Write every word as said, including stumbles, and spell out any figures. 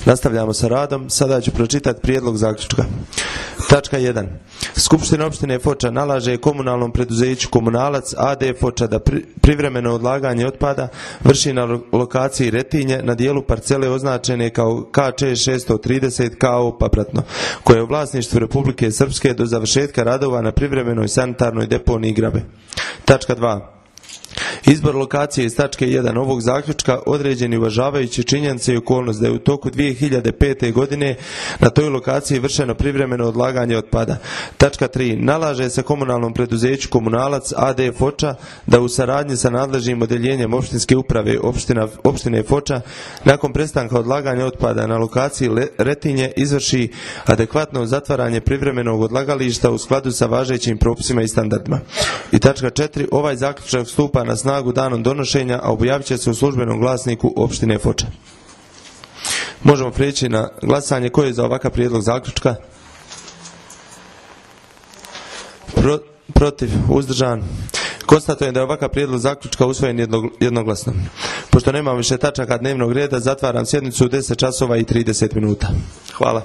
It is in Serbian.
Nastavljamo sa radom. Sada ću pročitati prijedlog zaključka. Tačka jedan. Skupština opštine Foča nalaže komunalnom preduzeću Komunalac A D Foča da pri, privremeno odlaganje otpada vrši na lokaciji Retinje na dijelu parcele označene kao K Č šesto trideset K O Papratno, koje je u vlasništvu Republike Srpske do završetka radova na privremenoj sanitarnoj deponiji Grabe. Tačka dva. Izbor lokacije iz tačke jedan ovog zaključka određen je uvažavajući činjenice i okolnost da je u toku dvije hiljade pete. godine na toj lokaciji vršeno privremeno odlaganje otpada. Tačka tri. Nalaže se komunalnom preduzeću Komunalac A D Foča da u saradnji sa nadležnim odeljenjem opštinske uprave opština, opštine Foča nakon prestanka odlaganja otpada na lokaciji Retinje izvrši adekvatno zatvaranje privremenog odlagališta u skladu sa važećim propisima i standardima. I tačka četiri. Ovaj zaključak stupa na snagu danom donošenja, a objavit će se u službenom glasniku opštine Foča. Možemo prijeći na glasanje. Ko je za ovakav prijedlog zaključka? Pro, protiv, uzdržan. Konstatujem da je ovakav prijedlog zaključka usvojen jednoglasno. Pošto nemam više tačaka dnevnog reda, zatvaram sjednicu u deset časova i trideset minuta. Hvala.